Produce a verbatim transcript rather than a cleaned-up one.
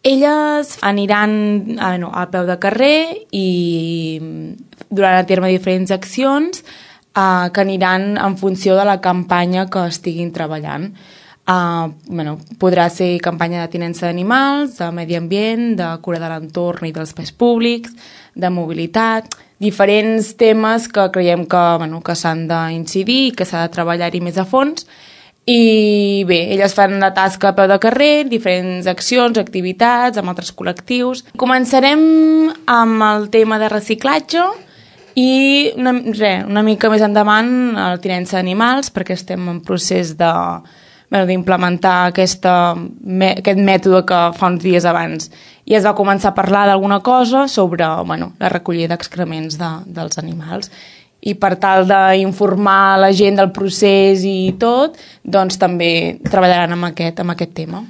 Elles aniran ah, no, al peu de carrer i duran a terme diferents accions eh, que aniran en funció de la campanya que estiguin treballant. Uh, bueno, podrà ser campanya de tinença d'animals, de medi ambient, de cura de l'entorn i dels espais públics, de mobilitat, diferents temes que creiem que, bueno, que s'han d'incidir i que s'ha de treballar-hi més a fons. I bé, elles fan la tasca a peu de carrer, diferents accions, activitats, amb altres col·lectius. Començarem amb el tema de reciclatge i una, re, una mica més endavant la tinença d'animals, perquè estem en procés de Bueno, d'implementar aquesta, me, aquest mètode que fa uns dies abans. I es va començar a parlar d'alguna cosa sobre bueno, la recollida d'excrements de, dels animals. I per tal d'informar la gent del procés i tot, doncs també treballaran amb aquest, amb aquest tema.